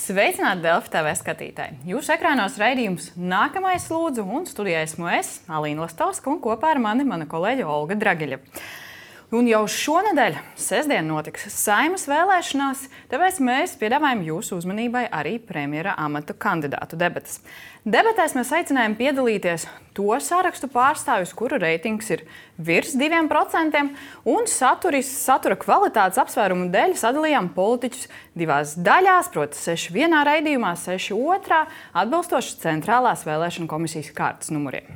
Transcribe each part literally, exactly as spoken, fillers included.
Sveicināti Delfi T V skatītāji! Jūsu ekrānos raidījums Nākamais lūdzu, un studijā esmu es, Alīna Lastovska, un kopā ar mani mana kolēģe Olga Dragiļa. Un jau šonedēļ, sestdien, notiks Saeimas vēlēšanās, tāpēc mēs piedāvājam jūsu uzmanībai arī premjera amata kandidātu debates. Debatēs mēs aicinājām piedalīties to sarakstu pārstāvjus, kuru reitings ir virs diviem procentiem, un saturis, satura kvalitātes apsvērumu dēļ sadalījām politiķus divās daļās, proti seši vienā raidījumā, seši otrā, atbilstoši centrālās vēlēšana komisijas kārtas numuriem.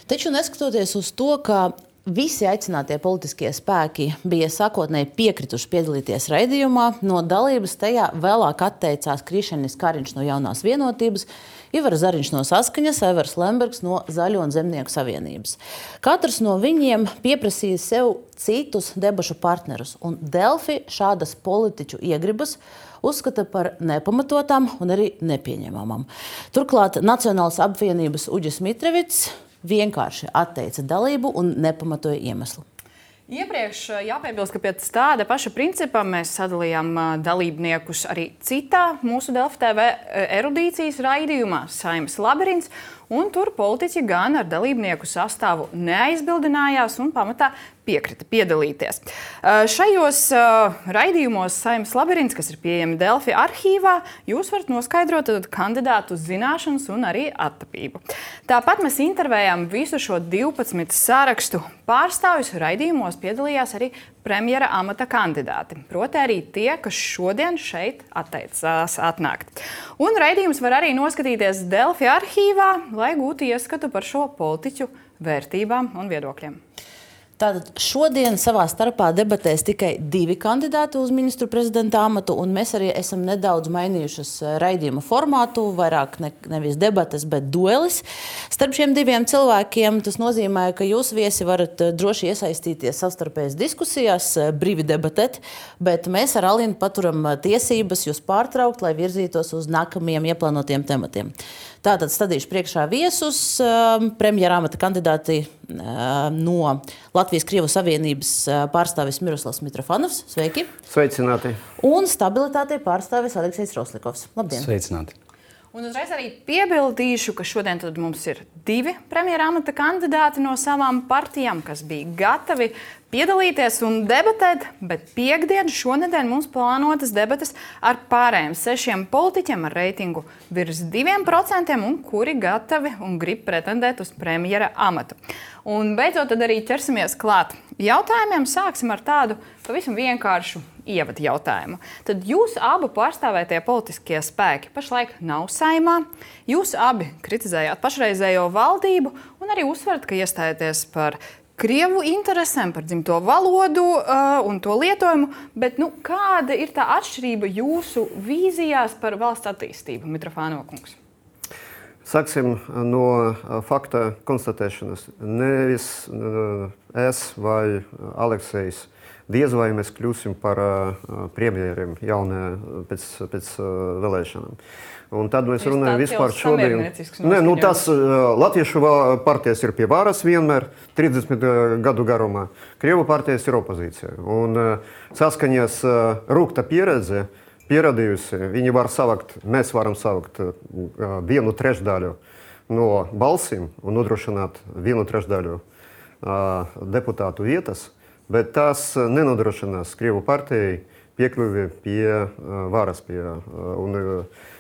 Taču neskatoties uz to, ka visi aicinātie politiskie spēki bija sākotnēji piekrituši piedalīties raidījumā, no dalības tajā vēlāk atteicās Krišjanis Kariņš no Jaunās vienotības, Ivars Zariņš no Saskaņas, Aivars Lembergs no Zaļo un Zemnieku savienības. Katrs no viņiem pieprasīja sev citus debašu partnerus, un Delfi šādas politiķu iegribas uzskata par nepamatotām un arī nepieņemamām. Turklāt Nacionālas apvienības Uģis Mitrevits vienkārši atteica dalību un nepamatoja iemeslu. Iepriekš jāpiebilst, ka pēc tāda paša principa mēs sadalījām dalībniekus arī citā mūsu Delfi T V erudīcijas raidījumā Saeimas labirints, un tur politiķi gan ar dalībnieku sastāvu neaizbildinājās un pamatā piekrita piedalīties. Šajos raidījumos Saeimas labirints, kas ir pieejami Delfi arhīvā, jūs varat noskaidrot kandidātu zināšanas un arī attapību. Tāpat mēs intervējām visu šo divpadsmit sarakstu pārstāvjus. Raidījumos piedalījās arī premjera amata kandidāti, proti arī tie, kas šodien šeit atteicās atnākt. Un raidījums var arī noskatīties Delfi arhīvā, lai gūtu ieskatu par šo politiķu vērtībām un viedokļiem. Tātad šodien savā starpā debatēs tikai divi kandidāti uz ministru prezidenta amatu, un mēs arī esam nedaudz mainījušas raidījuma formātu, vairāk ne, nevis debates, bet duelis. Starp šiem diviem cilvēkiem tas nozīmē, ka jūs viesi varat droši iesaistīties savstarpējas diskusijās, brīvi debatēt, bet mēs ar Alīnu paturam tiesības jūs pārtraukt, lai virzītos uz nākamajiem ieplānotiem tematiem. Tātad stādīšu priekšā viesus, premjera amata kandidāti no Latvijas Krievu savienības pārstāvis Miroslavs Mitrofanovs. Sveiki! Sveicināti! Un stabilitātei pārstāvis Aleksejs Roslikovs. Labdien! Sveicināti! Un uzreiz arī piebildīšu, ka šodien tad mums ir divi premjera amata kandidāti no savām partijām, kas bija gatavi piedalīties un debatēt, bet piekdien šonedēļ mums plānotas debates ar pārējiem sešiem politiķiem ar reitingu virs diviem procentiem un kuri gatavi un grib pretendēt uz premjera amatu. Un beidzot tad arī ķersimies klāt jautājumiem. Sāksim ar tādu pavisam vienkāršu ievadu jautājumu. Tad jūs abi pārstāvētie politiskie spēki pašlaik nav Saeimā. Jūs abi kritizējāt pašreizējo valdību un arī uzsverat, ka iestājaties par Krievu interesēm, par dzimto valodu uh, un to lietojumu, bet nu, kāda ir tā atšķirība jūsu vīzijās par valsts attīstību, Mitrofanova kungs? Sāksim no fakta konstatēšanas. Nevis uh, es vai Aleksejs, diez vai mēs kļūsim par uh, premjeriem jaunajā pēc, pēc uh, vēlēšanām. Un tad mēs runājam vispār šodien. Nē, nu tas uh, Latviešu partijas ir pie varas vienmēr, trīsdesmit gadu garumā. Krievu partijas ir opozīcija. Un uh, Saskaņas uh, rūgta pieredze, pieradījusi, viņi var savakt, mēs varam savakt uh, vienu trešdaļu no balsīm un nodrošināt vienu trešdaļu uh, deputātu vietas, bet tas nenodrošinās Krievu partijai piekļuvi pie uh, varas. Pie, uh, un, uh,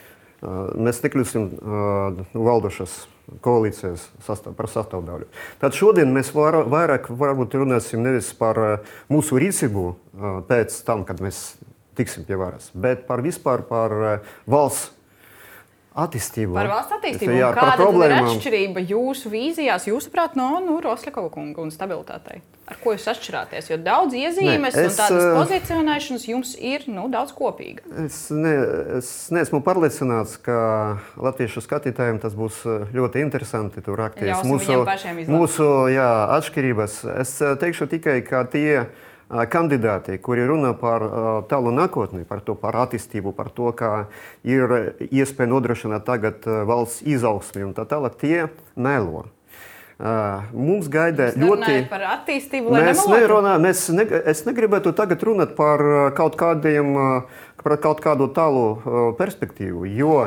Mēs nekļūsim uh, valdošas koalīcijas sastāv, par sastāvdaļu. Tad šodien mēs var, vairāk varbūt runāsim nevis par uh, mūsu rīcību uh, pēc tam, kad mēs tiksim pie varas, bet par vispār par uh, valsts attīstību. Par valsts attīstību. Jā, kāda tad ir atšķirība jūsu vīzijās, jūsuprāt, no nu, Roslikova kunga un stabilitātei? Ar ko jūs atšķirāties? Jo daudz iezīmes ne, es, un tādas pozicionēšanas jums ir nu, daudz kopīga. Es, ne, es neesmu pārliecināts, ka latviešu skatītājiem tas būs ļoti interesanti tur rakties. Mūsu, mūsu jā, atšķirības. Es teikšu tikai, ka tie kandidāti, kuri runā par tālu nākotni, par to, par attīstību, par to, kā ir iespēja nodrošināt tagad valsts izaugsmi un tā tālāk, tie melo. Mums gaida ļoti... Par attīstību, lai mēs nemalotu? nerunā, mēs ne, es negribētu tagad runāt par kaut, kādiem, par kaut kādu tālu perspektīvu, jo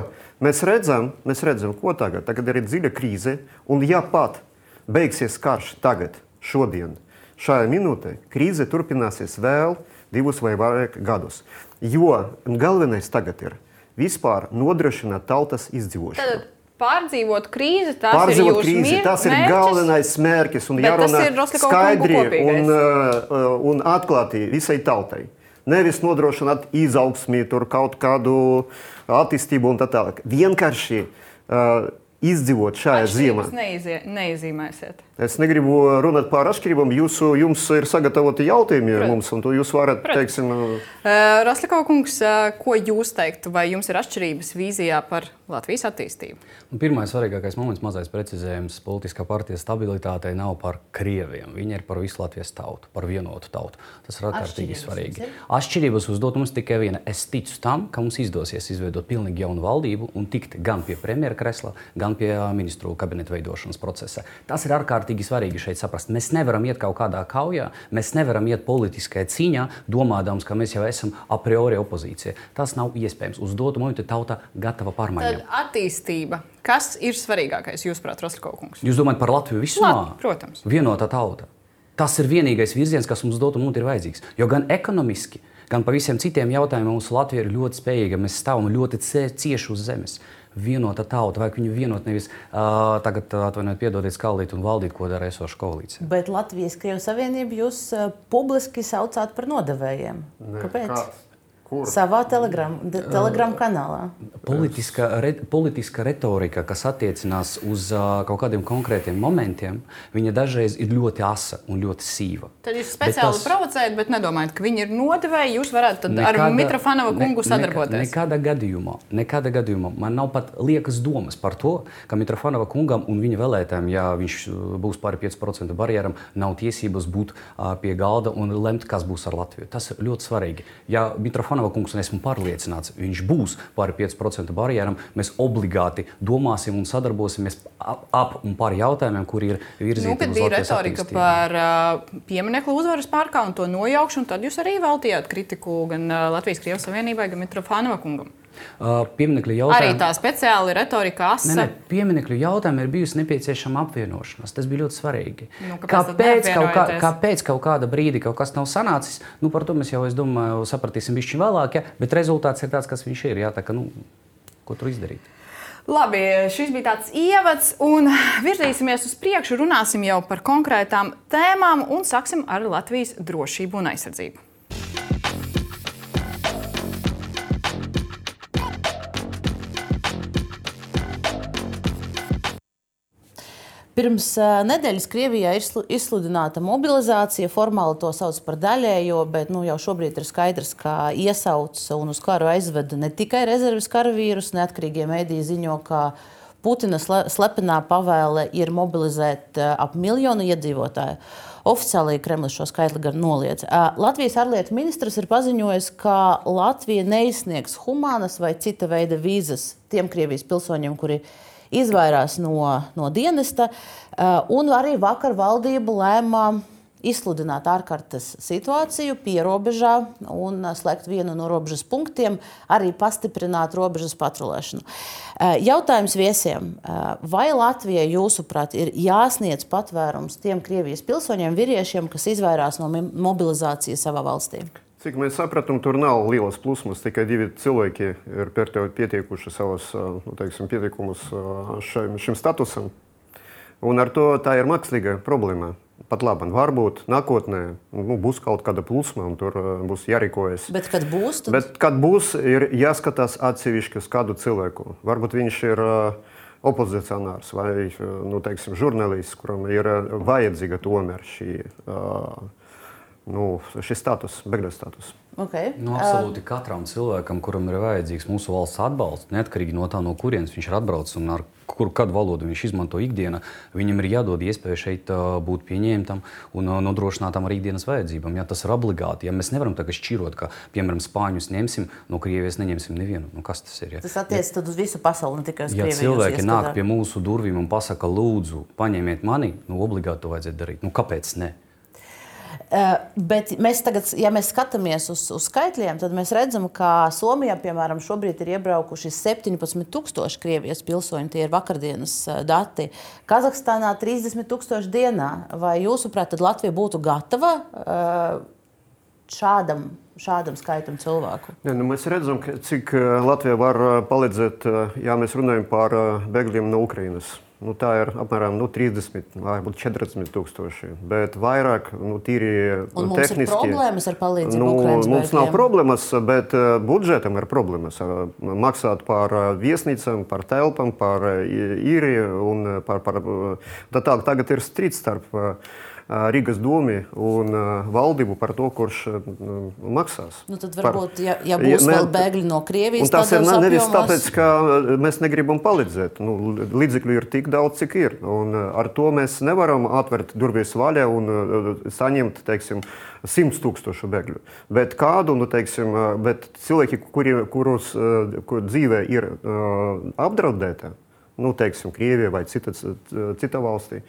mēs redzam, mēs redzam, ko tagad. Tagad ir dziļa krīze, un ja pat beigsies karš tagad, šodien, šajā minūtē, krīze turpināsies vēl divus vai vairāk gadus. Jo galvenais tagad ir vispār nodrošināt tautas izdzīvošanu. Tad pārdzīvot krīzi, tas Pārdzīvot ir jūsu krīzi, mērķis. tas ir galvenais mērķis un jārunā skaidri un, un atklāti visai tautai. Nevis nodrošināt izaugsmi, tur kaut kādu attīstību un tā tālāk. Vienkārši uh, izdzīvot šajā zīmē. Neizie, neiezīmēsiet. Es negribu runāt par atšķirībām. Jūsu, jums ir sagatavoti jautājumi ar mums, un to jūs varat, Protams. teiksim... Uh, Rosļakova kungs, uh, ko jūs teiktu, vai jums ir atšķirības vīzijā par Latvijas attīstību? Pirmais svarīgākais moments, mazais precizējums, politiskā partijas stabilitātei nav par krieviem. Viņa ir par visu Latvijas tautu, par vienotu tautu. Tas ir ārkārtīgi svarīgi. Atšķirības uzdot mums tikai viena. Es ticu tam, ka mums izdosies izveidot pilnīgi jaunu valdību un tikt gan pie premjera kresla, gan pie ministru kabineta veidošanas procesa. Tas ir ārkārtīgi svarīgi šeit saprast. Mēs nevaram iet kaut kādā kaujā, mēs nevaram iet politiskajā cīņā, domādams, ka mēs jau esam a priori opozīcija. Tas nav iespējams. Uz dotu momentu tauta gatava pārmaiņām. Tad attīstība. Kas ir svarīgākais, jūsuprāt, Rosļakova kungs? Jūs domājat par Latviju visumā? Lat, protams. Vienotā tauta. Tas ir vienīgais virziens, kas mums dotu un ir vajadzīgs. Jo gan ekonomiski, gan par visiem citiem jautājumiem mūsu Latvija ir ļoti spējīga. Mēs stāvam ļoti cieši uz zemes. Vienota tauta, vajag viņu vienot, nevis uh, tagad atvainojiet, piedodiet, skaldīt un valdīt, ko dara esoša koalīcija. Bet Latvijas-Krievijas Savienību jūs uh, publiski saucāt par nodevējiem. Ne, Kāpēc? kāds? Kur? Savā telegram, de, telegram kanālā. Politiska, re, politiska retorika, kas attiecinās uz uh, kaut kādiem konkrētiem momentiem, viņa dažreiz ir ļoti asa un ļoti sīva. Tad jūs speciāli tas... provocējat, bet nedomājat, ka viņi ir nodevēji, jūs varētu tad nekāda, ar Mitrofanova kungu ne, sadarboties? Nekādā gadījumā, nekādā gadījumā. Man nav pat liekas domas par to, ka Mitrofanova kungam un viņa vēlētājiem, ja viņš būs pāri pieci procenti barjeram, nav tiesības būt uh, pie galda un lemt, kas būs ar Latviju. Tas ir ļoti svarīgi. Ja Mitrofanova kungs, un esmu pārliecināts, viņš būs pāri pieci procenti barjeram, mēs obligāti domāsim un sadarbosimies ap, ap un par jautājumiem, kuri ir virzīti nu, uz Latvijas attīstību. Kad bija retorika par uh, pieminekļu uzvaras parkā un to nojaukšanu, tad jūs arī veltījāt kritiku gan uh, Latvijas-Krievijas Savienībai, gan Mitrofanova kungam. Uh, pieminekļu jautājumi... Arī tā speciāli retorika asa. Nē, nē, pieminekļu jautājumi ir bijusi nepieciešama apvienošanās. Tas bija ļoti svarīgi. Nu, kāpēc, kaut kā, kāpēc kaut kāda brīdi kaut kas nav sanācis? Nu, par to mēs jau, es domāju, sapratīsim bišķi vēlāk, ja? Bet rezultāts ir tāds, kas viņš ir. Jā, tā ka, nu, ko tur izdarīt? Labi, šis bija tāds ievads, un virzīsimies uz priekšu, runāsim jau par konkrētām tēmām un sāksim ar Latvijas drošību un aizsardzību. Pirms uh, nedēļas Krievijā ir izsludināta mobilizācija, formāli to sauc par daļējo, bet nu, jau šobrīd ir skaidrs, ka iesauc un uz karu aizved ne tikai rezerves karavīrus, neatkarīgie mediji ziņo, ka Putina slepenā pavēle ir mobilizēt uh, ap miljonu iedzīvotāju. Oficiāli Kremlis šo skaitli gan noliedz. Uh, Latvijas ārlietu ministrs ir paziņojis, ka Latvija neizsniegs humānas vai cita veida vīzas tiem Krievijas pilsoņiem, kuri izvairās no, no dienesta, un arī vakar valdība lēma izsludināt ārkārtas situāciju pierobežā un slēgt vienu no robežas punktiem, arī pastiprināt robežas patrulēšanu. Jautājums viesiem. Vai Latvijai, jūsuprāt, ir jāsniedz patvērums tiem Krievijas pilsoņiem, vīriešiem, kas izvairās no mobilizācijas savā valstī? Cik mēs sapratām, tur nav lielas plūsmas, tikai divi cilvēki ir pietiekuši savus nu, teiksim, pietiekumus šim, šim statusam. Un ar to tā ir mākslīga problēma. Pat labi, varbūt nākotnē nu, būs kaut kāda plūsma un tur būs jārīkojas. Bet kad būs? Tad... Bet kad būs, ir jāskatās atsevišķi uz kādu cilvēku. Varbūt viņš ir opozicionārs vai nu, teiksim, žurnālists, kuram ir vajadzīga tomēr šī uh, nu, šis status, bēgļu status. Okay. Nu, absolūti katram cilvēkam, kuram ir vajadzīgs mūsu valsts atbalsts, neatkarīgi no tā, no kurienes viņš ir atbraucis un ar kuru kādu valodu viņš izmanto ikdienā, viņam ir jādod iespēja šeit uh, būt pieņemtam un uh, nodrošinātam ar ikdienas vajadzībām. Ja tas ir obligāti, ja mēs nevaram tagad šķirot, ka, piemēram, spāņus ņemsim, no Krievijas neņemsim nevienu. Nu, kas tas ir? Ja? Tas attiecas tad uz visu pasauli, ne tikai uz ja Krieviju. Ja cilvēki nāk pie mūsu durvīm un pasaka, lūdzu, paņemiet mani, nu, obligāti to vajadzētu darīt. Nu, kāpēc ne? Uh, bet mēs tagad, ja mēs skatāmies uz, uz skaitļiem, tad mēs redzam, ka Somijā, piemēram, šobrīd ir iebraukuši septiņpadsmit tūkstoši Krievijas pilsoņi, tie ir vakardienas uh, dati. Kazahstānā trīsdesmit tūkstoši dienā. Vai jūsuprāt, tad Latvija būtu gatava uh, šādam, šādam skaitam cilvēku? Ne, nu mēs redzam, ka, cik Latvija var palīdzēt, ja mēs runājam par bēgļiem no Ukrainas. Nu, tā ir apmēram nu, trīsdesmit, varbūt četrdesmit tūkstoši, bet vairāk nu, tīri un mums tehniski. Ir problēmas ar palīdzību nu, Ukrainas mums bēgļiem? Nav problēmas, bet uh, budžetam ir problēmas. Uh, maksāt par uh, viesnīcām, par telpām, par uh, īriju un par, par uh, tā tā, tagad ir strīds starp uh, Rīgas domi un uh, valdību par to, kurš uh, maksās. Nu, tad varbūt, par, ja, ja būs ja, vēl bēgļi no Krievijas, tas ir nevis apjomos... tāpēc, ka mēs negribam palīdzēt. Nu, līdzekļu ir tik daudz, cik ir. Un ar to mēs nevaram atvērt durvis vaļā un uh, saņemt, teiksim, simts tūkstošu bēgļu. Bet kādu, nu, teiksim, bet cilvēki, kuri, kurus uh, kur dzīve ir uh, apdraudēta, nu, teiksim, Krievija vai cita, cita valstī,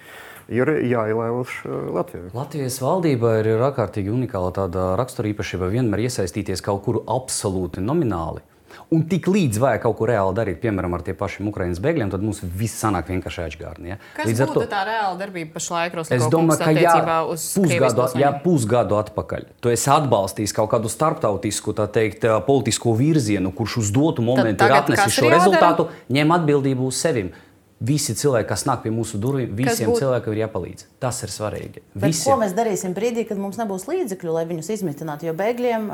ir jāielaiž Latvijai. Latvijas valdība ir ārkārtīgi unikāla tāda raksturīpašība vienmēr iesaistīties kaut kur absolūti nomināli. Un tik līdz vajag kaut ko reāli darīt, piemēram, ar tie pašiem Ukrainas bēgļiem, tad mums viss sanāk vienkārši aizgārni. Ja? Kas līdz būtu to... tā reāla darbība pašlaik, Roslako Es domāju, ka jā, uz pusgadu, jā, pusgadu atpakaļ tu esi atbalstījis kaut kādu starptautisku, tā teikt, politisko virzienu, kurš uz dotu momentu ir atnesis šo rezultātu, ņem atbildību uz sevim. Visi cilvēki, kas nāk pie mūsu durvīm, visiem būt... cilvēkiem ir jāpalīdz. Tas ir svarīgi. Bet ko mēs darīsim brīdī, kad mums nebūs līdzekļu, lai viņus izmitinātu? Jo bēgļiem,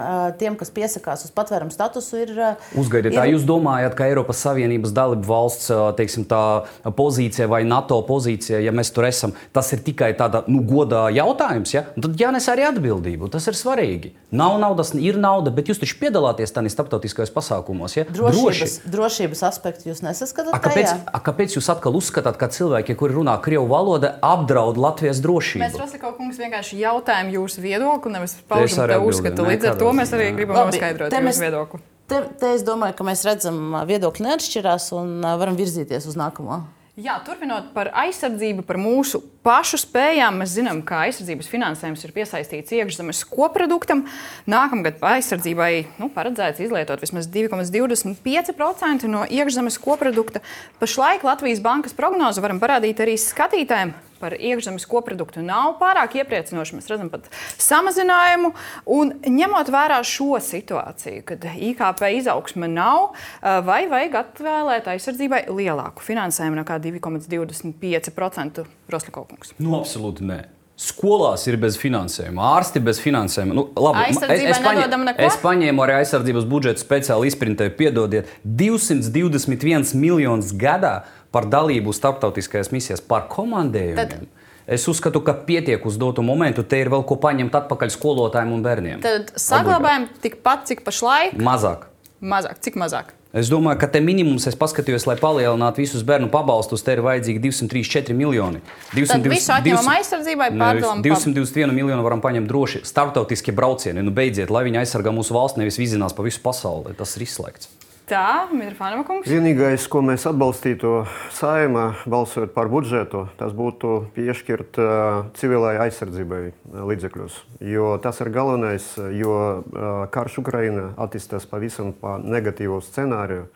tiem, kas piesakās uz patvērumu statusu, ir... Uzgaidiet, ir... tā jūs domājat, ka Eiropas Savienības dalību valsts, teiksim, tā pozīcija vai NATO pozīcija, ja mēs tur esam, tas ir tikai tāda, nu, godā jautājums, ja? Tad jānes arī atbildību. Tas ir svarīgi. Nav naudas, ir nauda, bet jūs taču piedalāties tādā starptautiskajos pasākumos, ja? Drošības, drošības aspektu jūs nesaskatāt? A, kāpēc, a, kāpēc jūs atkal uzskatāt, ka cilvēki, kuri runā krievu valoda, apdraud Latvijas drošību? Mēs, Roslako kungs, vienkārši jautājam jūsu viedokli, nevis paužam te uzskatu. Līdz ar to mēs arī gribam Labi, noskaidrot jūsu mēs, viedokli. Te, te es domāju, ka mēs redzam, viedokļi neatšķirās un varam virzīties uz nākamo. Jā, turpinot par aizsardzību, par mūsu pašu spējām, mēs zinām, ka aizsardzības finansējums ir piesaistīts iekšzemes koproduktam. Nākamgad aizsardzībai nu, paredzēts izlietot vismaz divi komats divdesmit pieci procenti no iekšzemes koprodukta. Pašlaik Latvijas bankas prognoze varam parādīt arī skatītājiem. Par iekšzemes koproduktu nav pārāk iepriecinoši. Mēs redzam pat samazinājumu. Un ņemot vērā šo situāciju, kad I K P izaugsme nav, vai vajag atvēlēt aizsardzībai lielāku finansējumu nekā divi komats divdesmit pieci procenti, Roslako kungs? Nu, absolūti nē. Skolās ir bez finansējuma, ārsti bez finansējuma. Nu, labi, es, es, paņem, es paņēmu arī aizsardzības budžetu speciāli izprintēju, piedodiet, divsimt divdesmit viens miljonus gadā par dalību starptautiskajās misijās, par komandējumiem. Tad, es uzskatu, ka pietiek uz dotu momentu, te ir vēl ko paņemt atpakaļ skolotājiem un bērniem. Tad saglabājam tikpat, cik pašlaik? Mazāk. Mazāk. Cik mazāk? Es domāju, ka te minimums, es paskatījos, lai palielinātu visus bērnu pabalstus, te ir vajadzīgi divsimt trīsdesmit četri miljoni. Tad visu atņemam aizsardzībai, pārdalam divsimt divdesmit vienu miljonu varam paņemt droši. Starptautiskie braucieni, nu beidziet, lai viņi aizsargā mūsu valsts, nevis vizinās pa visu pasauli. Tas ir izslēgts. Tā, Mitrofānova kungs. Vienīgais, ko mēs atbalstītu Saeimā, balsojot par budžetu, tas būtu piešķirt uh, civilai aizsardzībai līdzekļus. Jo tas ir galvenais, jo uh, karš Ukraina attīstās pavisam pa negatīvu scenāriju.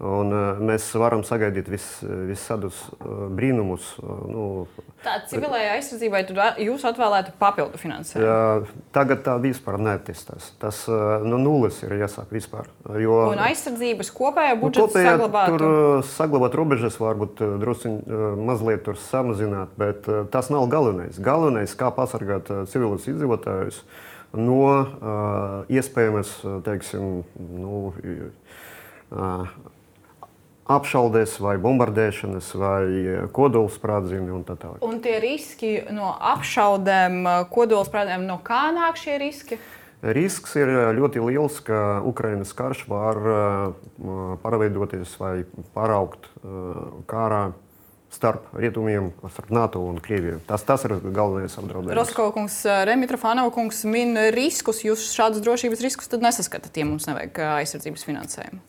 Un uh, mēs varam sagaidīt vis, visādus uh, brīnumus. Uh, nu, tā civilai aizsardzībai jūs atvēlētu papildu finansējumu? Jā, tagad tā vispār neattīstās. Tas uh, no nulles ir jāsāk vispār. Jo, un aizsardzības kopējā budžeta kopējā, saglabātu? Tur uh, saglabāt robežas, varbūt uh, drusciņ uh, mazliet tur samazināt, bet uh, tas nav galvenais. Galvenais, kā pasargāt uh, civilus iedzīvotājus no uh, iespējamas, teiksim, nu, uh, apšaudes vai bombardēšanas vai kodolsprādzieni un tā tālāk. Un tie riski no apšaudēm, kodolsprādzieniem, no kā nāk šie riski? Risks ir ļoti liels, ka Ukrainas karš var pārveidoties vai pāraugt kārā starp rietumiem, starp NATO un Krieviju. Tas, tas ir galvenais apdraudējums. Roskova kungs, Remija Trofanova kungs min riskus. Jūs šādus drošības riskus tad nesaskatāt, ja mums nevajag aizsardzības finansējumu?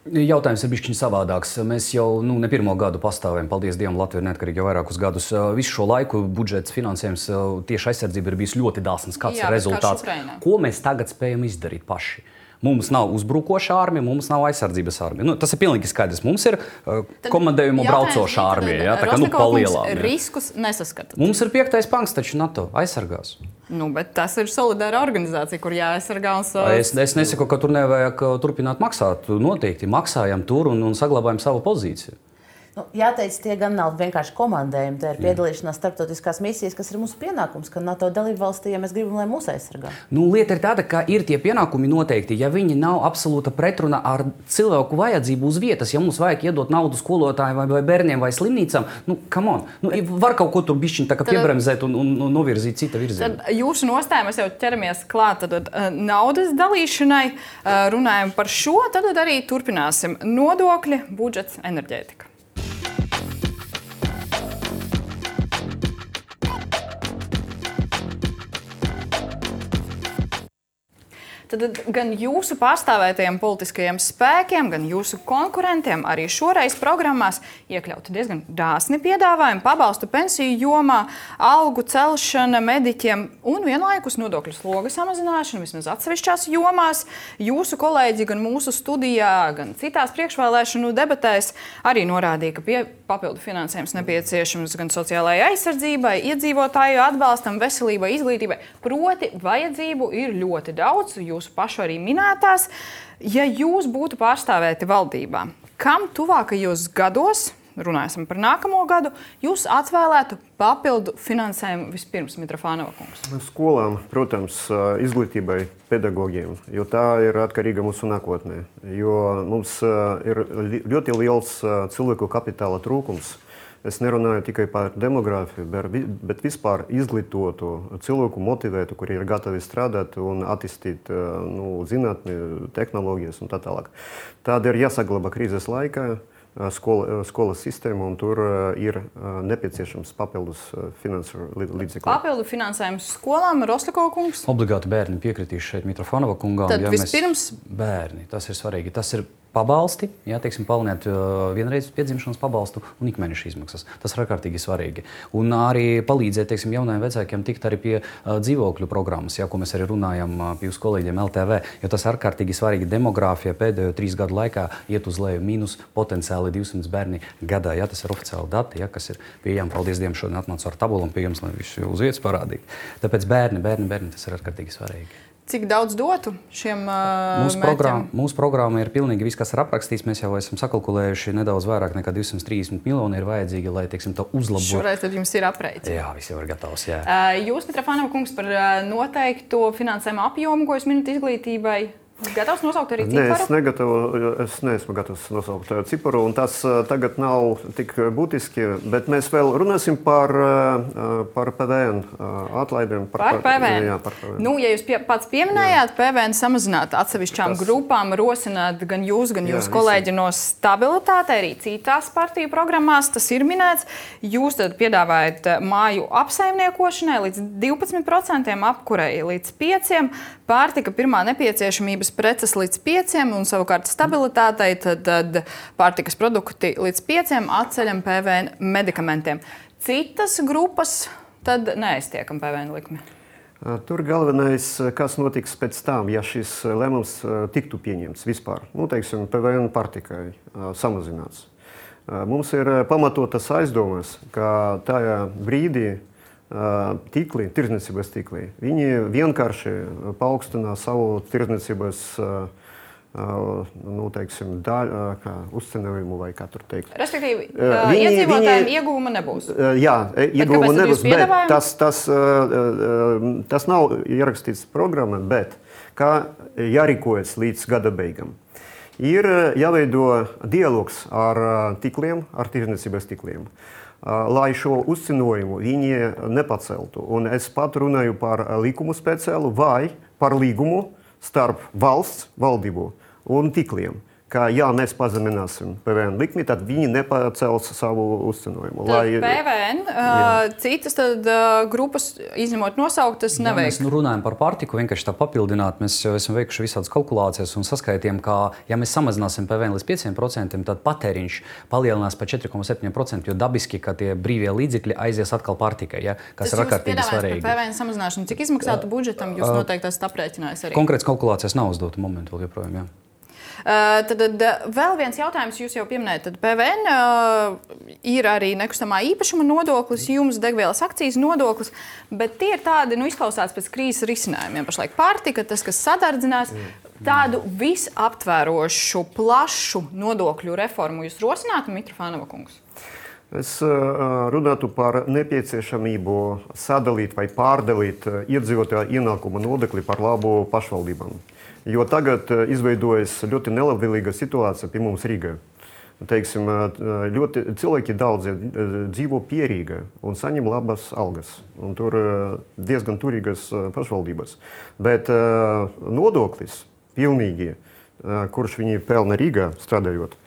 Jautājums ir bišķiņ savādāks. Mēs jau nu, ne pirmo gadu pastāvējam, paldies Dievam, Latvija ir neatkarīga jau vairākus gadus. Visu šo laiku budžets finansējums tieši aizsardzība ir bijis ļoti dāsns. Kāds Jā, ir rezultāts? Ko mēs tagad spējam izdarīt paši? Mums nav uzbrukoša armija, mums nav aizsardzības armija. Nu, tas ir pilnīgi skaidrs. Mums ir uh, komandējumu braucoša armija. Ja, tā kā nu palielām. Riskus nesaskatāt. Mums ir piektais pants, taču NATO aizsargās. Nu, bet tas ir solidāra organizācija, kur jāaizsargā. Un savas... es, es nesaku, ka tur nevajag turpināt maksāt. Noteikti maksājam tur un, un saglabājam savu pozīciju. Nu, jāteic, tie gan nav vienkārši komandējumi. Tā ir piedalīšanās starptautiskās misijas, kas ir mūsu pienākums, ka NATO dalībvalstī, ja mēs gribam, lai mūs aizsargā. Nu, lieta ir tāda, ka ir tie pienākumi noteikti, ja viņi nav absolūta pretruna ar cilvēku vajadzību uz vietas. Ja mums vajag iedot naudu skolotājiem vai, vai bērniem vai slimnīcām, nu, come on. Nu, var kaut ko tur bišķiņ tā kā piebremzēt un, un, un novirzīt cita virzienā. Tad jūsu nostāja, mēs jau ķeramies klāt tad, tad, naudas dalīšanai, runājam par šo, tad arī turpināsim nodokļi, budžets, enerģētika. Tad gan jūsu pārstāvētajiem politiskajiem spēkiem, gan jūsu konkurentiem arī šoreiz programmās iekļauti diezgan dāsni piedāvājumi, pabalstu pensiju jomā, algu celšana mediķiem un vienlaikus nodokļu sloga samazināšana vismaz atsevišķās jomās. Jūsu kolēģi gan mūsu studijā, gan citās priekšvēlēšanu debatēs arī norādīja, ka pie papildu finansējums nepieciešams gan sociālajai aizsardzībai, iedzīvotāju atbalstam, veselībai, izglītībai. Proti, vajadzību ir ļoti daudz. Jūs pašu arī minētās, ja jūs būtu pārstāvēti valdībā, kam tuvākajos gados, runāsim par nākamo gadu, jūs atvēlētu papildu finansējumu vispirms, Mitrofānova kungs? Skolām, protams, izglītībai, pedagogiem, jo tā ir atkarīga mūsu nākotnē, jo mums ir ļoti liels cilvēku kapitāla trūkums. Es nerunāju tikai par demogrāfiju, bet vispār izglītotu cilvēku motivētu, kuri ir gatavi strādāt un attīstīt nu, zinātni, tehnoloģijas un tā tālāk. Tāda ir jāsaglabā krīzes laikā skola, skolas sistēma, un tur ir nepieciešams papildus finansu līdzekļi. Papildu finansējums skolām, Rostakova kungs? Obligāti bērni piekritīs šeit Mitrofānova kungām. Tad ja vispirms? Mēs... Bērni, tas ir svarīgi. Tas ir pabalsti, jā, teiksim, palielināt uh, vienreiz piedzimšanas pabalstu un ikmēneša izmaksas. Tas ir ārkārtīgi svarīgi. Un arī palīdzēt, teiksim, jaunajiem vecākiem tikt arī pie uh, dzīvokļu programmas, jā, ko mēs arī runājam uh, pie jūsu kolēģiem L T V, jo tas ir ārkārtīgi svarīgi. Demogrāfija pēdējo trīs gadu laikā iet uz leju mīnus potenciāli divsimt bērni gadā. Jā, tas ir oficiāli dati, jā, kas ir pieejami. Paldies Dievam, šodien atnācu ar tabulam pie jums, lai visu uz vietas parādītu. Tāpēc bērni, bērni, bērni, tas ir ārkārtīgi svarīgi. Cik daudz dotu šiem uh, mūsu programma, mūsu programma ir pilnīgi viss, kas ir aprakstīts. Mēs jau esam sakalkulējuši nedaudz vairāk nekā divsimt trīsdesmit miljoni ir vajadzīgi, lai, teiksim, to uzlabotu. Šoreiz tad jums ir apreits. Jā, viss jau ir gatavs, jā. Uh, jūs, Mitrofānova kungs, par uh, noteikto finansējumu apjomu, ko jūs minat izglītībai, gatavs nosaukt arī ciparu? Nē, es, negatavu, es neesmu gatavs nosaukt ciparu, un tas uh, tagad nav tik būtiski, bet mēs vēl runāsim par, uh, par P V N uh, atlaidēm. Par, par P V N. Jā, par P V N. Nu, ja jūs pie, pats pieminējāt, jā. P V N samazināt atsevišķām tas... grupām, rosināt gan jūs, gan jūsu kolēģi no stabilitāte, arī citās partiju programmās, tas ir minēts. Jūs tad piedāvājat māju apsaimniekošanai līdz divpadsmit procentiem, apkurei līdz pieciem procentiem, pārtika pirmā nepieciešamības preces līdz pieciem un savukārt stabilitātei, tad, tad pārtikas produkti līdz pieciem atceļam P V N medikamentiem. Citas grupas tad neaiztiekam P V N likmi. Tur galvenais, kas notiks pēc tam, ja šis lēmums tiktu pieņemts vispār. Nu, teiksim, P V N pārtikai samazināts. Mums ir pamatotas aizdomas, ka tajā brīdī tīkli, tirdzniecības tīkli, viņi vienkārši paaugstina savu tirdzniecības nu, teiksim, daļu, kā uzcenējumu vai kā tur teikt. Respektīvi, viņi, iedzīvotājiem viņi, ieguvuma nebūs. Jā, ieguvuma nebūs, bet tas, tas, tas nav ierakstīts programmā, bet kā jārīkojas līdz gada beigām. Ir jāveido dialogs ar tikliem, ar tirdzniecības tikliem, lai šo uzcinojumu viņi nepaceltu. Un es pat runāju par likumu speciālu vai par līgumu starp valsts valdību un tikliem. Ka, ja mēs pazemināsim P V N likmi, tad viņi nepacels savu uzcenojumu. Tad lai... P V N, uh, citas tad, uh, grupas, izņemot nosauktas, neveiks. Ja mēs nu, runājam par pārtiku, vienkārši tā papildināt, mēs jau esam veikuši visādas kalkulācijas un saskaitījām, ka, ja mēs samazināsim P V N līdz pieciem procentiem, tad patēriņš palielinās par četri komats septiņi procenti, jo dabiski, ka tie brīvie līdzekļi aizies atkal pārtikai, ja, kas tas ir ārkārtīgi svarīgi. P V N samazināšanu, cik izmaksātu budžetam, jūs noteikti esat aprēķinājis arī? Konkrētas kalkulācijas nav uzdota momentu vēl joprojām, jā. Uh, tad, tad vēl viens jautājums, jūs jau pieminējat, tad P V N uh, ir arī nekustamā īpašuma nodoklis, jums degvielas akcijas nodoklis, bet tie ir tādi, nu, izklausās pēc krīzes risinājumiem. Pašlaik pārtika, tas, kas sadardzinās, tādu visaptvērošu, plašu nodokļu reformu jūs rosinātu, Mitrofānova kungs? Es uh, runātu par nepieciešamību sadalīt vai pārdalīt uh, iedzīvotāju ienākuma nodokli par labu pašvaldībām. Jo tagad uh, izveidojas ļoti nelabvēlīga situācija pie mums Rīgā. Teiksim, uh, ļoti cilvēki daudzi uh, dzīvo pie Rīgā un saņem labas algas. Un tur uh, diezgan turīgas uh, pašvaldības. Bet uh, nodoklis pilnīgi, uh, kurš viņi pelna Rīgā strādājot,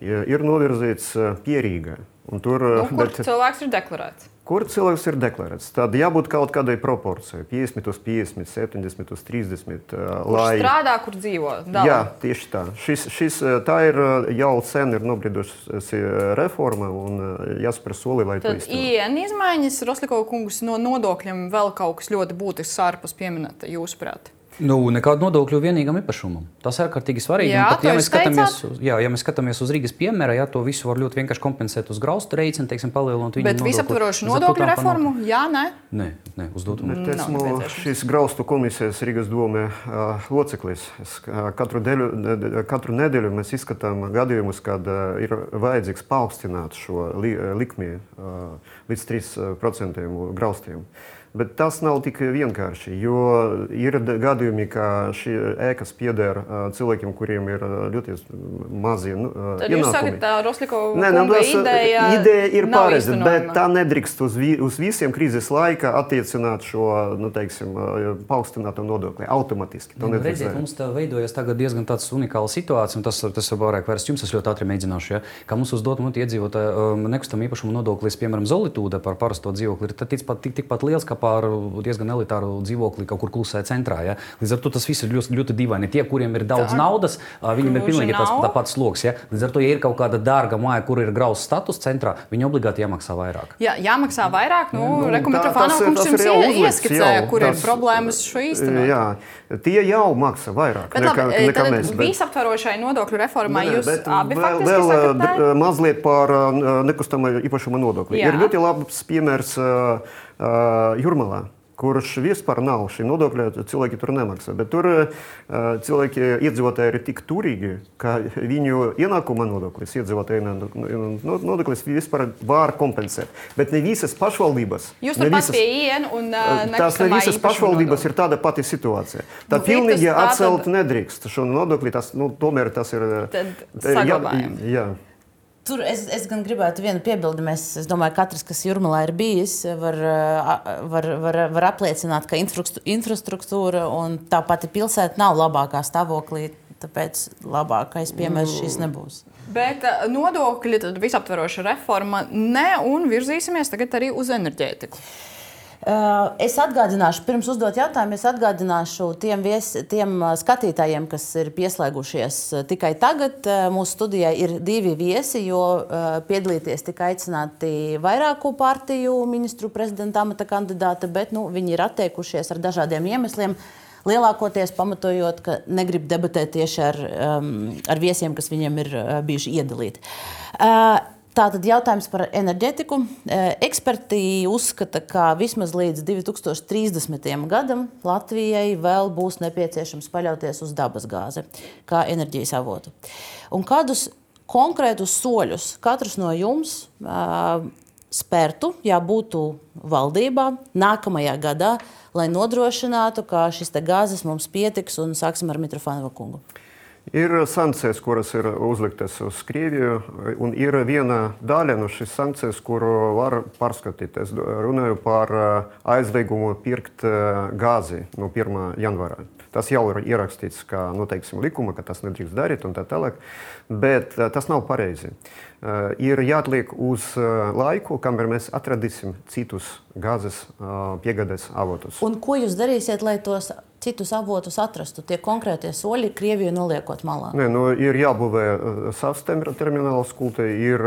ir novirzīts uh, pie Rīgā. Un tur, nu, kur bet, cilvēks ir deklarēts? Kur cilvēks ir deklarēts? Tad jābūt kaut kādai proporcijai. piecdesmit uz piecdesmit, septiņdesmit uz trīsdesmit. Kur lai... strādā, kur dzīvo? Dala. Jā, tieši tā. Šis, šis, tā ir jau sen ir nobriedusi reforma un jāspēr soli, lai tad to izturētu. I N izmaiņas, Roslikova kungs, no nodokļiem vēl kaut kas ļoti būtisks ārpus pieminēta, jūsuprāt? Nu, nekādu nodokļu vienīgam īpašumam. Tas ir ārkārtīgi svarīgi. Jā, pat, ja, mēs skatāmies, uz, jā, ja mēs skatāmies uz Rīgas piemēra, jā, to visu var ļoti vienkārši kompensēt uz graustu rēķinu, teiksim, palielinot viņu bet nodokli. Bet visaptverošu nodokļu reformu? Jā, nē? Nē, nē, uz dotu. Bet esmu šīs graustu komisijas Rīgas dome uh, loceklis. Es, uh, katru, deļu, katru nedēļu mēs izskatām gadījumus, kad uh, ir vajadzīgs paaugstināt šo li, likmi uh, līdz trīs procentiem graustiem. Bet tas nav tik vienkārši, jo ir gadījumi, ka šī ēkas pieder cilvēkiem, kuriem ir ļoti mazi ienākumi. Tad jūs sakat, tā Roslikova kunga ideja ideja ir pareiza, bet tā nedrīkst uz, vi, uz visiem krīzes laika attiecināt šo, nu, teiksim, paaugstināto nodokli automatiski. Nu, redziet, mums tā veidojas tagad diezgan tāds unikāla situācija, un tas, tas ir vairāk vērsts jums, es ļoti ātri mēģināšu, ja? Kā mums uzdot muti iedzīvotāju um, nekustam īpašumu nodoklis, piemēram, Zolitūde par parasto dzīvokli, ir tikpat tik, tik liels, kā par diezgan elitāru dzīvokli kaut kur klusē centrā. Ja? Līdz ar to tas viss ir ļoti, ļoti dīvaini. Tie, kuriem ir daudz tā, naudas, viņiem ir pilnīgi tas tāpats sloks. Ja? Līdz ar to, ja ir kaut kāda dārga māja, kur ir grauds status centrā, viņi obligāti jāmaksā vairāk. Jā, jāmaksā vairāk. Nu, nu, Reku Mitrofānova kungs jums ieskicēja, kur tas, ir problēmas šo īstenot. Jā, tie jau maksā vairāk. Bet labi, nekā, nekā mēs, bet... visaptvarošai nodokļu reformai jūs abi faktiski vēl, sakatā? Vēl mazliet par nekustamā īpašuma nodokli. Jā. Ir ļoti labs piemērs uh, uh, Jūrmalā, kurš vispār nav šī nodokļa, cilvēki tur nemaksā. Bet tur uh, cilvēki iedzīvotāji ir tik turīgi, ka viņu ienākuma nodoklis, iedzīvotāju nodoklis vispār var kompensēt. Bet ne visas pašvaldības. Jūs tur pats pie I N un uh, tās ne visas pašvaldības ir tāda pati situācija. Tā nu, pilnīgi atcelt tad... nedrīkst šo nodokli, tas, nu, tomēr tas ir... Tad saglabājam. Jā, jā. Tur es, es gan gribētu vienu piebildi. Mēs, es domāju, ka katrs, kas Jūrmalā ir bijis, var, var, var, var apliecināt, ka infrastruktūra un tā pati pilsēta nav labākā stāvoklī, tāpēc labākais piemērs šis nebūs. Bet nodokļi, tad visaptveroša reforma ne un virzīsimies tagad arī uz enerģētiku. Es atgādināšu, pirms uzdot jautājumu, es atgādināšu tiem, vies, tiem skatītājiem, kas ir pieslēgušies tikai tagad. Mūsu studijā ir divi viesi, jo piedalīties tika aicināti vairāku partiju ministru prezidenta amata kandidāti, bet nu, viņi ir atteikušies ar dažādiem iemesliem. Lielākoties pamatojot, ka negrib debatēt tieši ar, ar viesiem, kas viņiem ir bijuši iedalīti. Tātad jautājums par enerģētiku. Eksperti uzskata, ka vismaz līdz divi tūkstoši trīsdesmitajam gadam Latvijai vēl būs nepieciešams paļauties uz dabasgāzi kā enerģijas avotu. Un kādus konkrētus soļus katrs no jums uh, spērtu, ja būtu valdībā nākamajā gadā, lai nodrošinātu, ka šis te gāzes mums pietiks, un sāksim ar Mitrofānova kungu. Ir sankcijas, kuras ir uzliktas uz Krieviju, un ir viena daļa no šīs sankcijas, kuru var pārskatīt. Es runāju par aizliegumu pirkt gāzi no pirmā janvāra. Tas jau ir ierakstīts kā, nu, teiksim, likuma, ka tas nedrīkst darīt un tā tālāk, bet tas nav pareizi. Ir jāatliek uz laiku, kamēr mēs atradīsim citus gāzes piegādes avotus. Un ko jūs darīsiet, lai tos citus avotus atrastu? Tie konkrētie soļi Krieviju noliekot malā? Nē, nu, ir jābūvē savs termināls kultē, ir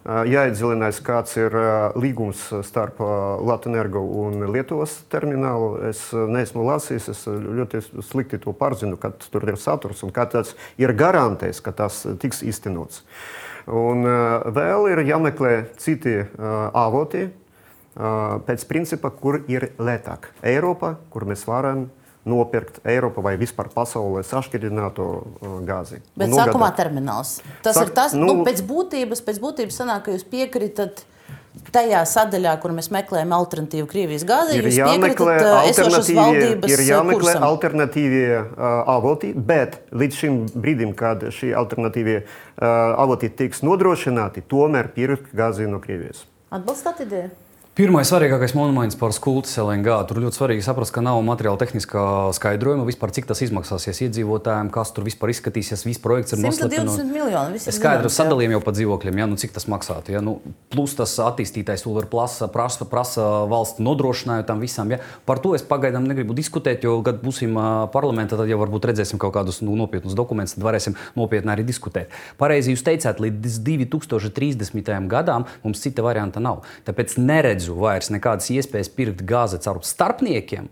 jāiedziļinās, kāds ir līgums starp Latvenergo un Lietuvas terminālu. Es neesmu lasījis, es ļoti slikti to pārzinu, kad tur ir saturs un kā tas ir garantējis, ka tas tiks īstenots. Un vēl ir jāmeklē citi avoti pēc principa, kur ir lētāk. Eiropa, kur mēs varam nopirkt Eiropa vai vispār pasaulē sašķidrināto gāzi. Bet sākumā termināls. Tas Sāk, ir tas, nu, nu, pēc būtības, pēc būtības sanāk, ka jūs piekritat tajā sadaļā, kur mēs meklējam alternatīvu Krievijas gāzi, jūs piekritat esošas valdības ir jāmeklē kursam. Alternatīvie uh, avoti, bet līdz šim brīdim, kad šī alternatīvie uh, avoti tiks nodrošināti, tomēr pirkt gāzi no Krievijas. Atbalstāt ideju? Pirmais svarīgākais moments par skultas L N G. Tur ļoti svarīgi saprast, ka nav materiāla tehniskā skaidrojuma vispār, cik tas izmaksāsies iedzīvotājiem, kas tur vispār izskatīsies, viss projekts ir noslēpts. simt divdesmit miljoni. Es skaidru sadalījumu jau pa dzīvokļiem, ja, nu, cik tas maksātu. Ja, nu, plus tas attīstītais vēl ir prasa, prasa, prasa valsts nodrošinājumu tam visam. Ja. Par to es pagaidām negribu diskutēt, jo, kad būsim parlamentā, tad jau varbūt redzēsim kaut kādus nu, nopietnus dokumentus, tad varēsim nopietni arī diskutēt. Pareizi jūs teicāt, līdz divi tūkstoši trīsdesmitajam gadam mums cita varianta nav. Tāpēc neredzu vairs nekādas iespējas pirkt gāzi caur starpniekiem,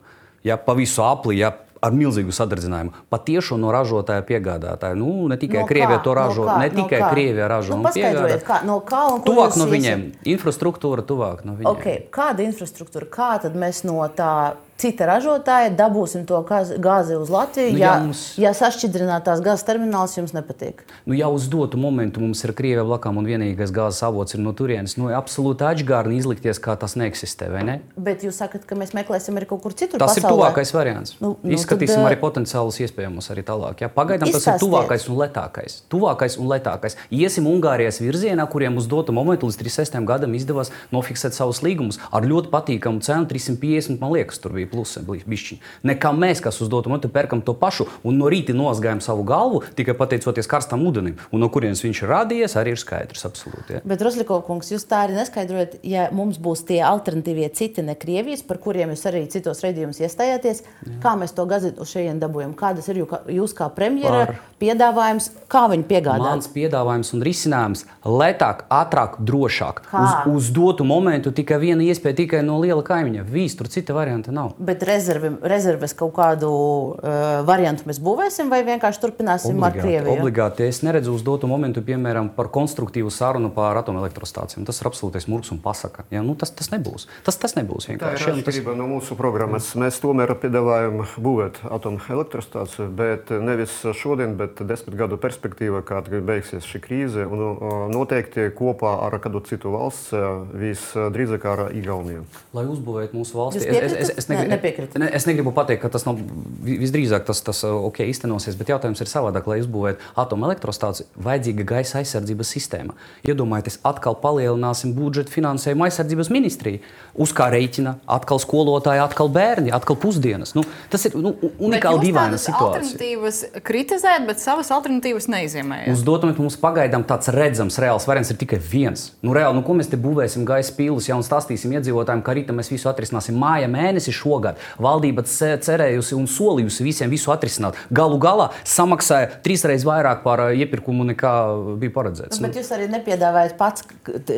ja, pa visu apli, ja, ar milzīgu sadardzinājumu. Patiešo no ražotāja piegādātāja. Nu, ne tikai no Krievija to no ražo, kā, ne tikai no Krievija ražo nu, un piegādā. Kā, no kā un ko tuvāk jūs no viņiem. Iesiet? Infrastruktūra tuvāk no viņiem. Okay. Kāda infrastruktūra? Kā tad mēs no tā cita ražotāja dabūsim to gāzi uz Latviju, nu, ja, ja, mums... ja sašķidrinātās gāzes termināls jums nepatīk? Nu, ja uz dotu momentu mums ir Krievija blakām un vienīgais gāzes avots ir no turienes, nu, absolūti atžgārni izlikties, kā tas neeksistē, vai ne? Bet jūs sakat, ka mēs meklēsim arī kaut kur citur tas pasaulē? Tas ir tuvākais variants. Nu, nu, Izskatīsim tad, arī potenciālus iespējamus arī tālāk. Ja? Pagaidām izstāstiet. Tas ir tuvākais un letākais. Tuvākais un letākais. Iesim Ungārijas virzienā, kuriem uz dotu momentu līdz trīsdesmit sestajam gadam izdevās nofiksēt savus līgumus ar ļoti patīkamu cenu, trīs simt piecdesmit, man liekas, tur bija plusi. Nekā mēs, kas uz dotu momentu pērkam to pašu un no rīta nozgājam savu galvu, tikai pateicoties karstam ūdenim. Un no kurienes viņš ir radies, arī ir skaidrs absolūti. Ja. Bet, Rosļikov kungs, jūs tā arī neskaidrojat, ja mums būs tie alternatīvie citi ne Krievijas, par kuriem jūs arī citos raidījumus iestājāties, jā. Kā mēs to gāzi uz šejien dabūjam? Kādas ir jūs kā premjera par... piedāvājums, kā viņi piegādā? Mans piedāvājums un risinājums lētāk, ātrāk, drošāk. Uz, uz dotu momentu tikai viena iespēja tikai no liela kaimiņa. Vīs, tur cita varianta nav. Bet rezervi rezerves kaut kādu uh, variantu mēs būvēsim vai vienkārši turpināsim obligāti, ar Krieviju? Obligāti. Es neredzu uz dotu momentu, piemēram, par konstruktīvu sarunu par atomelektrostācijām. Tas ir absolūtais murgs un pasaka. Ja, nu, tas, tas nebūs. Tas, tas nebūs vienkārši. Tā ir atšķirība tas... no mūsu programmas. Mēs tomēr piedāvājam būvēt atomelektrostāciju, bet nevis šodien, bet desmit gadu perspektīva, kad beigsies šī krīze, un noteikti kopā ar kādu citu valsts, visdrīzāk ar Igauniju. Lai uzbūvētu mūsu valsti. Jūs piekritat? Es, es, es, negribu, ne, ne, es negribu pateikt, ka tas nav visdrīzāk tas, tas ok, iztenosies, bet jautājums ir savādāk. Lai uzbūvētu atomelektrostāciju, vajadzīga gaisa aizsardzības sistēma. Iedomājieties, atkal palielināsim budžetu finansējumu aizsardzības ministriju. Uz kā reiķina atkal skolotāji, atkal bērni, atkal pusdienas. Nu, tas ir nu, unikāli dīvaina situācija. Alternatīvas kritizēt, bet savas alternatīvas neizjēmējat. Uz dotu momentu mums pagaidām tāds redzams, reāls variants ir tikai viens. Nu, reāli, nu, ko mēs te būvēsim gaisa pīlus, ja un stāstīsim iedzīvotājiem, ka rīta mēs visu atrisināsim māja mēnesi šogad. Valdība cerējusi un solījusi visiem visu atrisināt. Galu galā samaksāja trīsreiz vairāk par iepirkumu nekā bija paredzēts. Bet jūs arī nepiedāvājat pats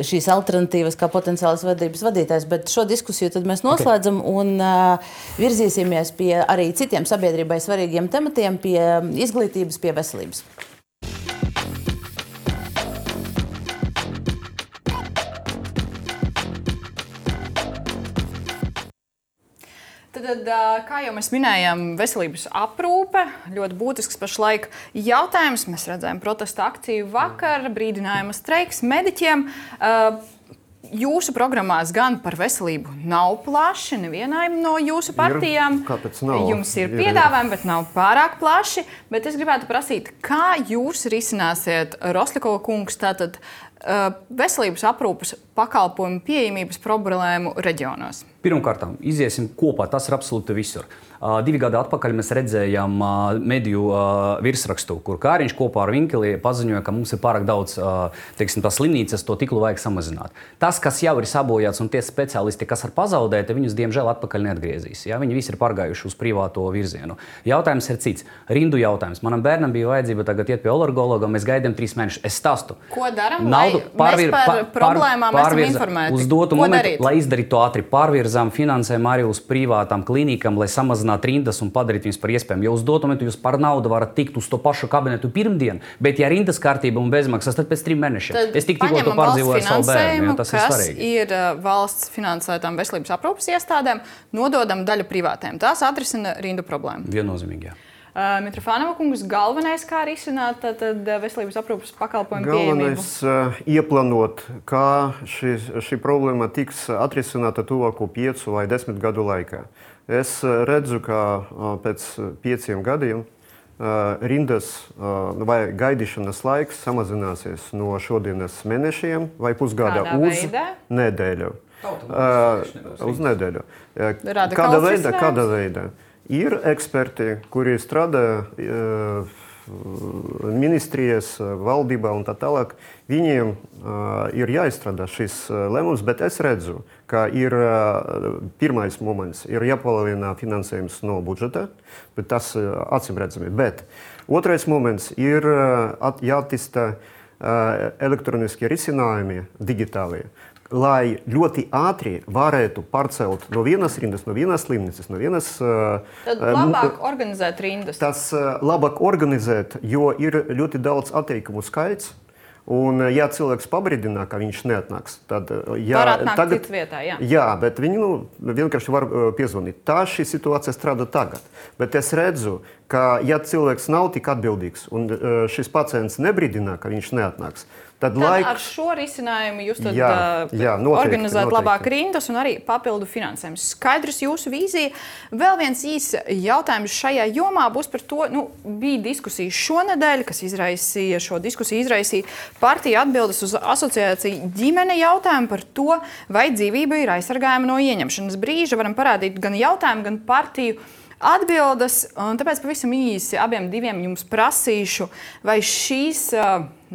šīs alternatīvas kā potenciālas vadības vadītājs, bet šo diskusiju tad mēs noslēdzam okay. un uh, virzīsimies pie arī citiem sabiedrībai svarīgiem tematiem, pie izglītības, pie veselības. Tad, kā jau mēs minējām, veselības aprūpe ļoti būtisks pašlaik jautājums. Mēs redzējām protesta akciju vakar, brīdinājuma streiks mediķiem. jūsu programmās gan par veselību nav plaši, nevienai no jūsu partijām. Ir, kāpēc nav? Jums ir, ir piedāvājumi, bet nav pārāk plaši. Bet es gribētu prasīt, kā jūs risināsiet, Rosļakova kungs, tātad uh, veselības aprūpes pakalpojumu pieejamības problēmu reģionos? Pirmkārt, iziesim kopā, tas ir absolūti visur. Uh, divi gadi atpakaļ mēs redzējām uh, mediju uh, virsrakstu, kur Kāriņš kopā ar Vinkeli paziņoja, ka mums ir pārāk daudz uh, teiksim, tās slimnīcas, to tiklu vajag samazināt. Tas, kas jau ir sabojāts un tie speciālisti, kas ir pazaudēti, viņus diemžēl atpakaļ neatgriezīs. Ja? Viņi visi ir pārgājuši uz privāto virzienu. Jautājums ir cits. Rindu jautājums. Manam bērnam bija vajadzība tagad iet pie alergologa, mēs gaidām trīs mēnešus. Es stāstu. Ko daram, Naudu, lai pārvir, mēs par problēmām pār, esam informēti? Uz dotu Ko momentu, darīt? lai izdarītu to ātri, pārvirzām finansējumu arī uz privātām klīnikām, lai samazinātu rindas un padarīt viņus par iespējamu. Jo uz dotu momentu jūs par naudu varat tikt uz to pašu kabinetu pirmdien, bet ja rindas kārtība un bezmaksas, tad pēc trim mēnešiem. Tad es tik tikko to pārdzīvoju savu bērnu, ja, tas ir kas svarīgi. ir uh, valsts finansētām veselības aprūpes iestādēm, nododam daļu privātiem. Tās atrisina rindu problēmu. Viennozīmīgi, jā. Uh, Mitrofānova kungs, galvenais, kā risināt tad, veselības aprūpes pakalpojumu pieejamību? Galvenais uh, ieplānot, kā šī, šī problēma tiks atrisināta tuvāko piecu vai desmit gadu laikā. Es uh, redzu, ka uh, pēc pieciem gadiem uh, rindas uh, vai gaidīšanas laiks samazināsies no šodienas mēnešiem vai pusgada Kādā uz veidā? nedēļu. Uh, uz nedēļu. Uh, Radikāls kāda veida? risinājums? Kāda veida? Ir eksperti, kuri strādā uh, ministrijas, valdībā un tā tālāk. Viņiem uh, ir jāizstrādā šis uh, lēmums, bet es redzu, ka ir uh, pirmais moments, ir jāpalielina finansējums no budžeta, bet tas uh, acīm redzami. Bet otrais moments ir uh, jāattīsta uh, elektroniskie risinājumi digitālie, lai ļoti ātri varētu pārcelt no vienas rindas, no vienas slimnīcas, no vienas... Tad labāk organizēt rindas. Tas labāk organizēt, jo ir ļoti daudz atteikumu skaits. Un, ja cilvēks pabrīdina, ka viņš neatnāks, tad... Ja, var atnākt tagad, citu vietā, jā. Jā, bet viņi nu, vienkārši var uh, piezvanīt. Tā šī situācija strādā tagad. Bet es redzu, ka ja cilvēks nav tik atbildīgs un uh, šis pacients nebrīdina, ka viņš neatnāks, tad, tad laik... ar šo risinājumu jūs tad jā, jā, noteikti, organizēt noteikti. labāk rindas un arī papildu finansējumus. Skaidrs jūsu vīzija. Vēl viens īs jautājums šajā jomā būs par to, nu, bija diskusija šonedēļ, kas izraisīja šo diskusiju, izraisīja partija atbildes uz asociāciju ģimene jautājumu par to, vai dzīvība ir aizsargājama no ieņemšanas brīža. Varam parādīt gan jautājumu, gan partiju atbildes, un tāpēc pavisam īsi abiem diviem jums prasīšu, vai šīs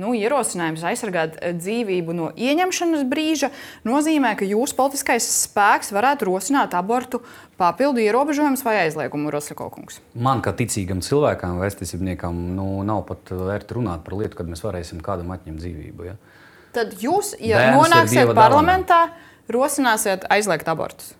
nu, ierosinājums aizsargāt dzīvību no ieņemšanas brīža nozīmē, ka jūsu politiskais spēks varētu rosināt abortu papildu ierobežojumus vai aizliegumu, Rosļakova kungs? Man, kā ticīgam cilvēkam, vēstniecībniekam, nu, nav pat vērti runāt par lietu, kad mēs varēsim kādam atņemt dzīvību. Ja? Tad jūs, ja Bērns nonāksiet parlamentā, rosināsiet aizliegt abortus?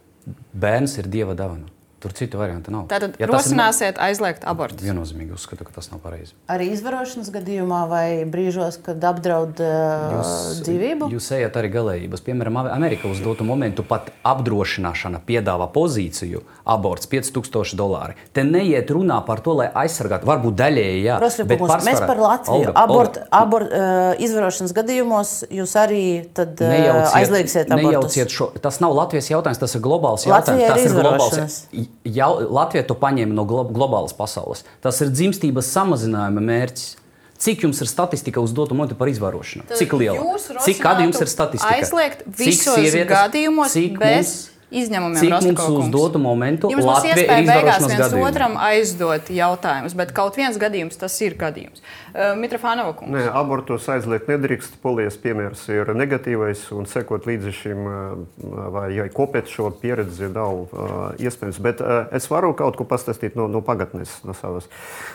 Bērns ir Dieva dāvana. Tur citu variantu nav. Tātad ja rosināsiet aizliegt abortus? Viennozīmīgi uzskatu, ka tas nav pareizi. Arī izvarošanas gadījumā vai brīžos, kad apdraud uh, Jūs, dzīvību? jūs ejat arī galējības. Piemēram, Amerika uz dotu momentu pat apdrošināšana piedāvā pozīciju aborts pieci tūkstoši dolāri. Te neiet runā par to, lai aizsargātu, varbūt daļēji, jā. Bet pārsvarā, mēs par Latviju. Olga, abort, Olga, abort, uh, izvarošanas gadījumos jūs arī tad uh, nejauciet, aizliegsiet abortus? Nejauciet šo. Tas nav Latvijas jautājums, tas ir globāls jautājums. Latvijā tas ir ir globāls izvarošanas. Jau, Latvija to paņēma no glo globālas pasaules. Tas ir dzimstības samazinājuma mērķis. Cik jums ir statistika uz dotu momentu par izvarošanu? Tad Cik liela? Cik kāda jums ir statistika? Aizliegt visos sievietes, gadījumos bez mums, izņēmumiem, cik Rosļakova mums uz kungs? dotu momentu Jums būs Latvija iespēja ir beigās izvarošanas viens gadījumi. otram aizdot jautājumus, bet kaut viens gadījums tas ir gadījums. Uh, Mitrofānova kungs. Nē, abortus aizliegt nedrīkst. Polijas piemērs ir negatīvais un sekot līdzi šim vai kopēt šo pieredzi nav uh, iespējams. Bet uh, es varu kaut ko pastāstīt no, no pagatnes, no savas.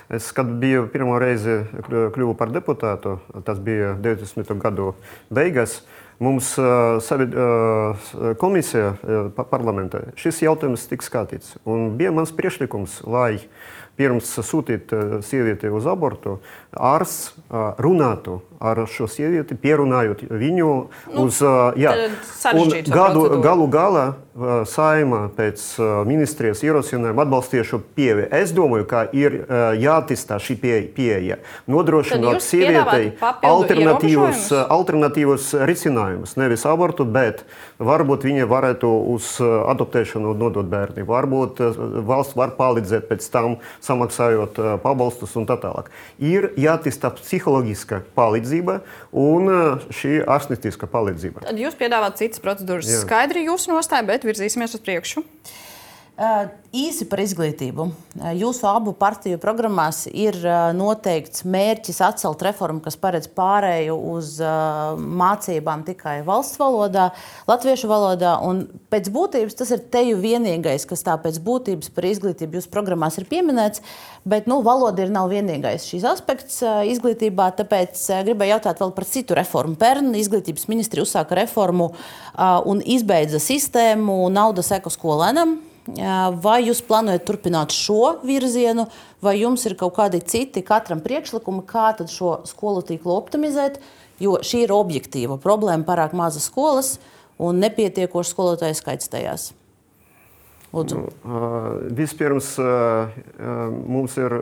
Es, kad biju pirmo reizi kļuvu par deputātu, tas bija deviņdesmito gadu beigas, mums uh, savi, uh, komisija uh, parlamentā šis jautājums tika skatīts. Un bija mans priekšlikums, lai pirms sūtīt uh, sievieti uz abortu, ārsts uh, runātu ar šo sievieti, pierunājot viņu nu, uz... Uh, jā, un gadu, galu galā uh, Saeima pēc uh, ministrijas ierosinājuma atbalstīja šo pieeju. Es domāju, ka ir uh, jāattīstā šī pieeja, nodrošinot sievietei alternatīvus, alternatīvus risinājumus. risinājumus. Nevis abortu, bet varbūt viņi varētu uz adoptēšanu nodot bērni. Varbūt valsts var palīdzēt pēc tam, samaksājot pabalstus un tā tālāk. Ir jātīsta psiholoģiska palīdzība un šī ārstnieciska palīdzība. Tad jūs piedāvājat citas procedūras. Jā. Skaidri jūsu nostāja, bet virzīsimies uz priekšu. Uh, īsi par izglītību. Uh, jūsu abu partiju programmās ir uh, noteikts mērķis atcelt reformu, kas paredz pārēju uz uh, mācībām tikai valsts valodā, latviešu valodā. Un pēc būtības tas ir teju vienīgais, kas tā pēc būtības par izglītību jūsu programmās ir pieminēts. Bet nu, valoda ir nav vienīgais šīs aspekts uh, izglītībā, tāpēc uh, gribēju jautāt vēl par citu reformu. Pērn izglītības ministri uzsāka reformu uh, un izbeidza sistēmu naudas eko skolēnam. Vai jūs plānojat turpināt šo virzienu, vai jums ir kaut kādi citi katram priekšlikumi, kā tad šo skolu tīklu optimizēt, jo šī ir objektīva problēma, pārāk mazas skolas un nepietiekošs skolotāju skaits tajās? Lūdzu. Vispirms mums ir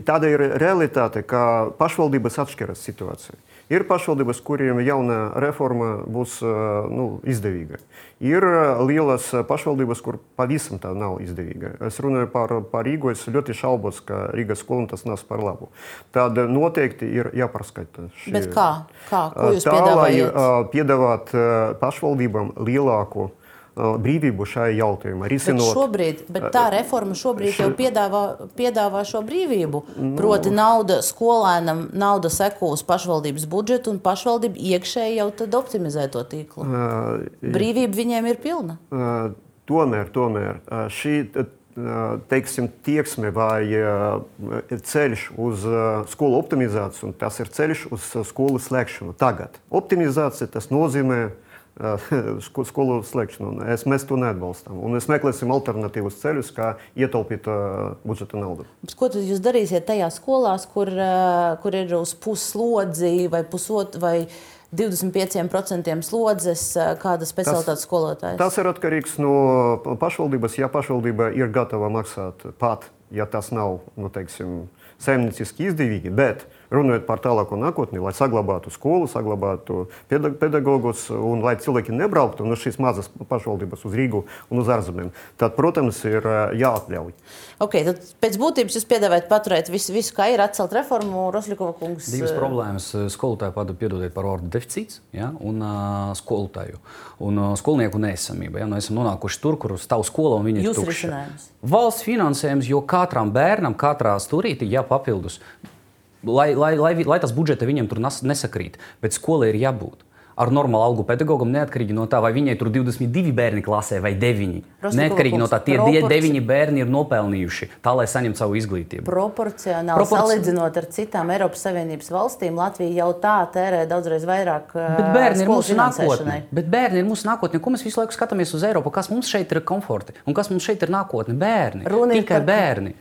tāda ir realitāte, ka pašvaldības atšķiras situācija. Ir pašvaldības, kuriem jauna reforma būs nu, izdevīga. Ir lielas pašvaldības, kur pavisam tā nav izdevīga. Es runāju par, par Rīgu, es ļoti šaubos, ka Rīgas skolam tas nāks par labu. Tad noteikti ir jāpārskata. Šī... Bet kā? Kā? Ko jūs tā, piedāvājat? Lai piedāvāt pašvaldībām lielāku brīvību šajā jautājumā. Bet, šobrīd, bet tā reforma šobrīd jau piedāvā, piedāvā šo brīvību. Proti nauda skolēnam, nauda seko uz pašvaldības budžetu un pašvaldība iekšēji jau tad optimizē to tīklu. Brīvība viņiem ir pilna. Tomēr, tomēr šī teiksim, tieksme vai ceļš uz skolu optimizāciju, un tas ir ceļš uz skolu slēgšanu tagad. Optimizācija tas nozīmē skolu slēgšanu. Es, mēs to neatbalstām. Un mēs meklēsim alternatīvus ceļus, kā ietaupīt uh, budžeta naudu. Ko tad jūs darīsiet tajās skolās, kur, uh, kur ir uz puslodzi vai, pusot, vai divdesmit pieciem procentiem slodzes uh, kāda specialitātes skolotājs? Tas ir atkarīgs no pašvaldības. Ja pašvaldība ir gatava maksāt pat, ja tas nav, nu, teiksim, saimnieciski izdevīgi, bet runājot par tālāko nākotni, lai saglabātu skolu, saglabātu pedagogus un lai cilvēki nebrauktu no šīs mazas pašvaldības uz Rīgu un uz ārzemēm, tad, protams, ir jāatļauj. Ok, tad pēc būtības jūs piedāvājat paturēt visu, visu kā ir, atcelt reformu, Rosļikova kungs? Divas problēmas. Skolotāju padu piedodiet par ordu deficīts, ja, un uh, skolotāju. Un uh, skolnieku neesamība. Ja, nu, esam nonākuši tur, kur stāv skola un viņi ir tukši. Jūs risinājums? Valsts finansējums, jo katram bērnam, katrā stūrītī jāpapildus. Lai, lai, lai, lai tas budžeta viņam tur nesakrīt, bet skolai ir jābūt ar normālu algu pedagogam, neatkarīgi no tā, vai viņai tur divdesmit divi bērni klasē vai deviņi. Neatkarīgi no tā, tie proporci... deviņi bērni ir nopelnījuši tā, lai saņemtu savu izglītību. Proporcionāli Proporci... salīdzinot ar citām Eiropas Savienības valstīm, Latvija jau tā tērē daudzreiz vairāk bet bērni ir mūsu nākotne. Bet bērni ir mūsu nākotne. Ko mēs visu laiku skatāmies uz Eiropu? Kas mums šeit ir komforti? Un kas mums šeit ir nākotne? Bērni. Runa Tikai par... bērni.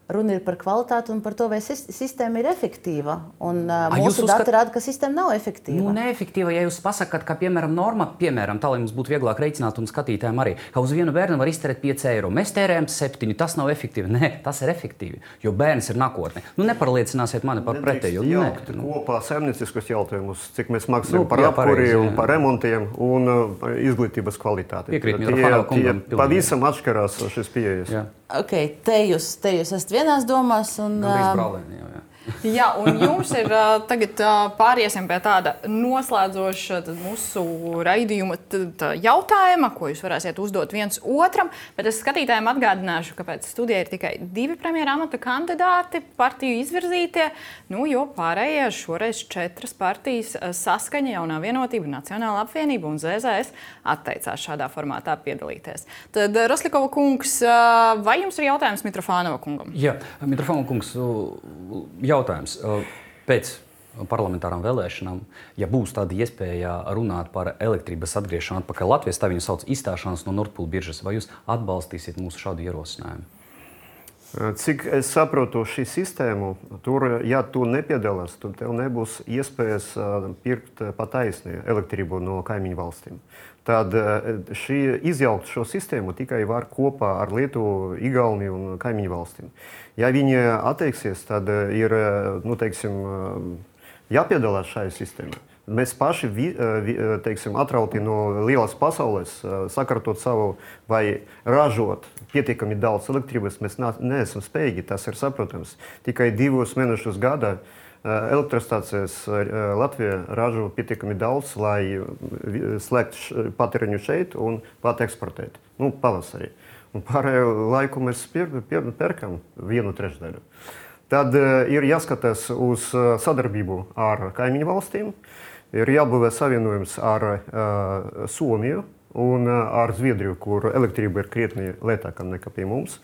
Runa ir par kvalitāti un par to, vai sistēma ir efektīva. Un, uh, mūsu uzskat... dati rāda, ka sistēma nav efektīva. Nu, neefektīva, ja jūs pasakāt, ka, piemēram, norma, piemēram, tā, lai mums būtu vieglāk reiķināt un skatītājiem arī, ka uz vienu bērnu var iztērēt pieci eiro. Mēs tērējam septiņi, tas nav efektīvi. Nē, tas ir efektīvi, jo bērns ir nākotne. Nu, neparliecināsiet mani par pretēju. Nedrīkst jaukt kopā saimnieciskus jautājumus, cik mēs maksājam nu, par apkuri un par remontiem un uh, izglītības kvalitāti. Piekrīt, tie, tie pavisam atšķirās šis pieejas. Jā. Okay, te, jūs, te jūs esat vienās domās. Un, brālēni, jā, jā. Jā, un jums ir tagad pāriesim pie tāda noslēdzoša mūsu raidījuma jautājuma, ko jūs varēsiet uzdot viens otram. Bet es skatītājiem atgādināšu, ka pēc studijā ir tikai divi premjera amata kandidāti, partiju izvirzītie, nu, jo pārējie šoreiz četras partijas Saskaņa, Jaunā vienotība, Nacionāla apvienība un Z Z S atteicās šādā formātā piedalīties. Tad, Rosļikova kungs, vai jums ir jautājums Mitrofānova kungam? Jā, Mitrofānova kungs, jā. Jautājums. Pēc parlamentārām vēlēšanām, ja būs tāda iespēja runāt par elektrības atgriešanu atpakaļ Latvijas, tā viņu sauc izstāšanās no Nord Pool biržas, vai jūs atbalstīsiet mūsu šādu ierosinājumu? Cik es saprotu šī sistēmu, tur, ja tu nepiedalās, tad tev nebūs iespējas pirkt pataisni elektrību no kaimiņu valstīm. Tad šī izjaukt šo sistēmu tikai var kopā ar Lietuvu, Igauniju un kaimiņu valstīm. Ja viņi atteiksies, tad ir, nu, teiksim, jāpiedalās šajā sistēmā. mēs paši vi, vi, teiksim, atrauti no lielas pasaules, sakārtot savu vai ražot pietiekami daudz elektrības, mēs neesam spējīgi, tas ir saprotams. Tikai divus mēnešus gadā elektrostācijas Latvijā ražo pietiekami daudz, lai slēgtu patēriņu šeit un pat eksportēt. Nu, pavasarī. Un pārējo laiku mēs pier, pier, perkam vienu trešdaļu. Tad uh, ir jāskatās uz uh, sadarbību ar kaimiņu valstīm, ir jābūvē savienojums ar uh, Somiju un uh, ar Zviedriju, kur elektrība ir krietni lētāka nekā pie mums.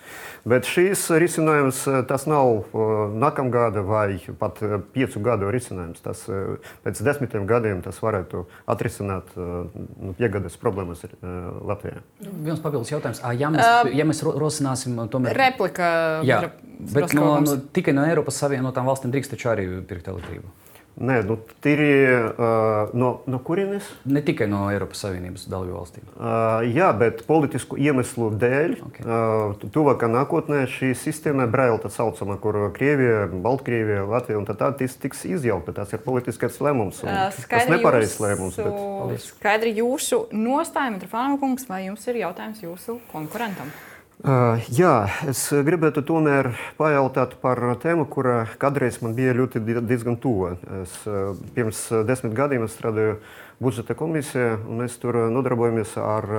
Bet šīs risinājums tas nav uh, nākamgada vai pat uh, piecu gadu risinājums. Tas, uh, pēc desmitiem gadiem tas varētu atrisināt uh, piegādes problēmas uh, Latvijā. Viens papildus jautājums. Ja mēs, uh, ja mēs rosināsim tomēr... Replika. Jā, bet no, no, tikai no Eiropas Savienotām valstīm drīkst taču arī pirkt elektrību. Nē, nu, tīri uh, no, no kurienes? Ne tikai no Eiropas Savienības dalību valstīm. Uh, jā, bet politisku iemeslu dēļ okay. uh, tuvākā nākotnē šī sistēma Braila tā saucama, kur Krievija, Baltkrievija, Latvija un tā tā tiks izjaukta. Tas ir politiskais lēmums. Tas nepareizs lēmums. Bet... Skaidri jūsu nostāja, Mitrofānova kungs, vai jums ir jautājums jūsu konkurentam? Uh, jā, es gribētu tomēr pajautāt par tēmu, kura kādreiz man bija ļoti diezgan tuva. Es, uh, pirms desmit gadiem es strādāju budžeta komisijā, un mēs tur nodarbojamies ar,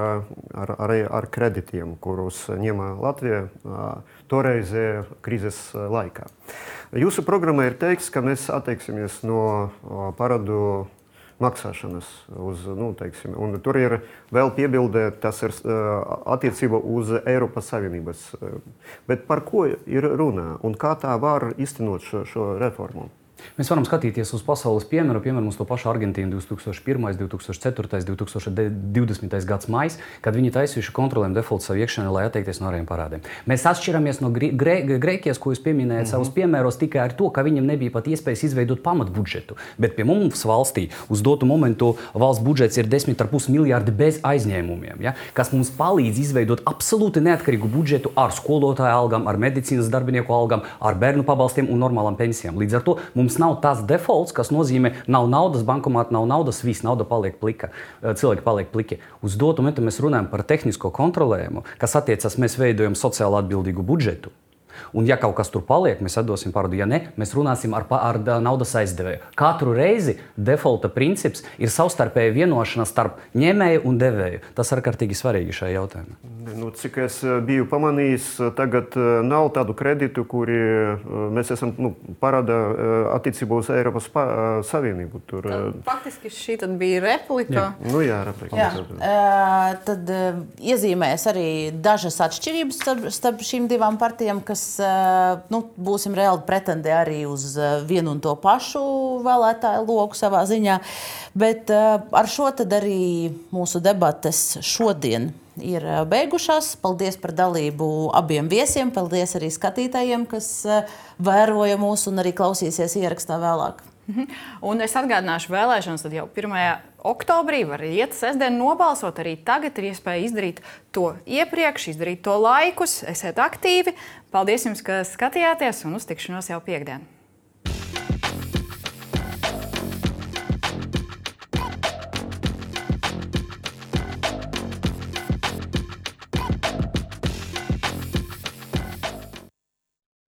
ar, ar, ar kreditiem, kurus ņēma Latvija uh, toreizē krīzes laikā. Jūsu programmā ir teikts, ka mēs atteiksimies no uh, parādu maksāšanas. Uz, nu, teiksim, un tur ir vēl piebilde, tas ir uh, attiecība uz Eiropas Savienības. Bet par ko ir runa un kā tā var iztenot šo, šo reformu? Mēs varam skatīties uz pasaules piemēru, piemēram, uz to pašu Argentīnu divs tūkstoši pirmais, divs tūkstoši ceturtais, divs tūkstoši divdesmitais gads maijs, kad viņi taisījuši kontrolēm defaultu savu iekšienē, lai atteikties no ārējiem parādiem. Mēs atšķiramies no Grē, Grēkijas, ko jūs pieminējat mm-hmm. savus piemēros, tikai ar to, ka viņiem nebija pat iespējas izveidot pamatbudžetu. Bet pie mums valstī uz dotu momentu valsts budžets ir desmit ar pus miljārdi bez aizņēmumiem, ja? Kas mums palīdz izveidot absolūti neatkarīgu budžetu ar skolotāju algām, ar medicīnas darbinieku algām, ar bērnu pabalstiem un normālām pensijām. Līdz ar to mums nav tas defaults, kas nozīmē, nav naudas bankomāta, nav naudas, viss nauda paliek plika, cilvēki paliek pliki. Uz dotu momentu mēs runājam par tehnisko kontrolējumu, kas attiecas, mēs veidojam sociāli atbildīgu budžetu. Un ja kaut kas tur paliek, mēs atdosim parādu. Ja ne, mēs runāsim ar, ar naudas aizdevēju. Katru reizi defaulta princips ir savstarpēja vienošanās starp ņēmēju un devēju. Tas ir ārkārtīgi svarīgi šajā jautājumā. Nu, cik es biju pamanījis, tagad nav tādu kreditu, kuri mēs esam nu, parāda attiecībā uz Eiropas pa, Savienību. Tur... Tad, faktiski šī tad bija replika. Jā, nu, jā, replika. Jā. Uh, tad uh, iezīmēs arī dažas atšķirības starp, starp šīm divām partijām, kas nu, būsim reāli pretendi arī uz vienu un to pašu vēlētāju loku savā ziņā. Bet ar šo tad arī mūsu debates šodien ir beigušās. Paldies par dalību abiem viesiem, paldies arī skatītājiem, kas vēroja mūs un arī klausīsies ierakstā vēlāk. Un es atgādināšu vēlēšanas, tad jau pirmajā oktobrī var iet sestdien nobalsot. Arī tagad ir iespēja izdarīt to iepriekš, izdarīt to laikus. Esiet aktīvi. Paldies jums, ka skatījāties un uz tikšanos jau piekdien.